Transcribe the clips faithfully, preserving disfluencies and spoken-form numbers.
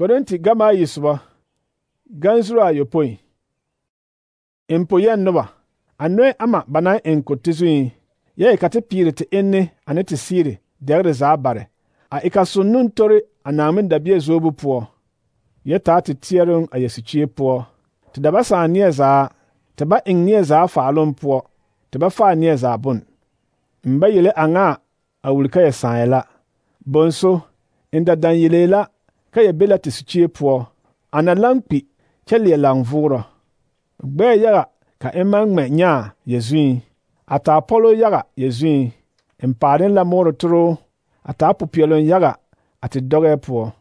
Korinti gama yi soba gansuru ayopoi impoyen noba anoe ama bana en ko tizui ye kate pire te enne ane te sire degre za bare a ikasunun tori anamin dabie zobu po ye ta te tierung a yesuchie po te daba sa nie za te ba ing nie za faalon po te ba fa nie za bun mba yele anga a wulka ya saela bonso inda dan yelela ka ya bela te suchie po ana lampi kelie langvura gbe yaga ka emang me nya yezui ata polo yaga yezui empaden la moro tro ata pupielon yaga ati doge po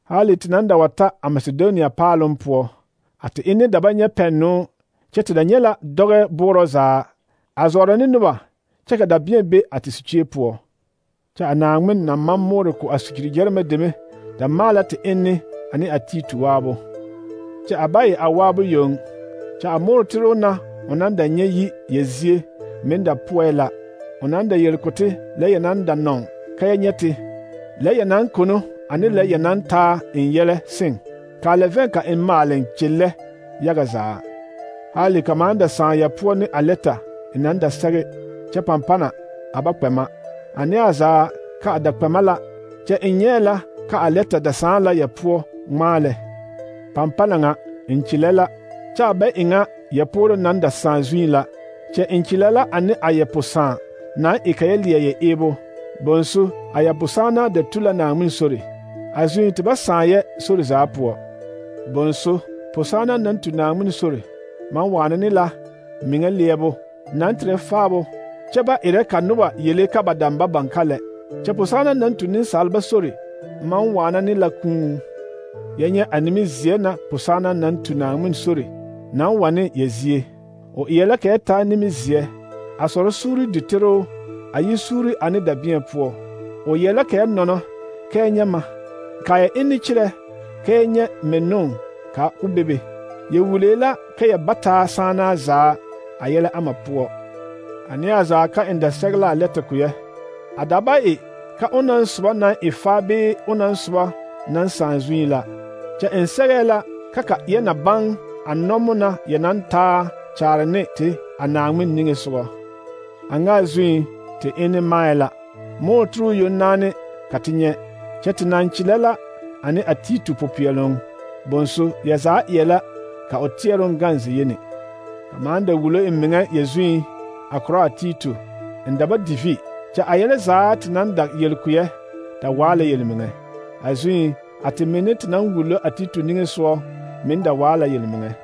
hali tinanda wata a Macedonia palon po ati ine dabanya penno chete da nyela doge buro za azora ni nuba cheka da bien be ati suchie po cha anangmen na mamoro ko asukiri jerme deme da mala te enne ani atitu wabo cha abai awabo yong cha amoro tro na onanda nyeyi yezie menda puela onanda yelkote le yananda non kaya nyete le yanan kono ani le yanan ta in yele sing ka le venka in malen chille yaga za hali kamanda san ya puo ni aleta inanda sage cha pampana abakpema ani aza ka adakpemala cha inyela ka aleta da san la ya puo male pampana nga inchilela cha be inga ya poro nanda san zuila cha inchilela ani ayeposan na ikayelia ye ebo bonsu ayaposana de tula na mun sori azui te basaye sori za po bonsu posana nan tu na mun sori man wana ni la minga lebo nan tre fabo chaba ire kanuba yele ka badamba bankale cha posana nan tu nin salba sori man wana ni la kun yenye animi ziena posana nan tu na mun sori nan wane yezie o yele ka ta nimi zie asoro suri ditero ayi suri ani da bien po o yele ka nono ka nyama ka ya inni chire ka nye menon ka ubebe ye wulela ka ya bata sana za ayele ama po ani aza ka inda segla leta kuye adaba e ka onan suba na ifabe onan suba nan sanzuila cha ensegela kaka ye na bang anomuna ye nan ta charne te anangmin ninge suba anga zui te ene maela mo tru yonane katinye chetinan chilela ani atitu popielong bonso yaza yela ka otieron ganzi yene kamanda wulo emenga yezui akro atitu ndaba divi cha ayele za tinanda yelkuye ta wala yelmenga azui atiminit nan wulo atitu ninge so minda wala yelmenga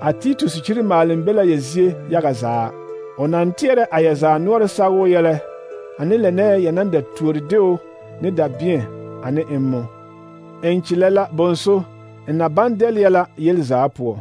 atitu sichiri malimbela yezie yagaza onantiere ayaza nuore sawo yele ani lene yananda tuordeo ne da bien ani emmo enchilela bonso na bandel yela yelza po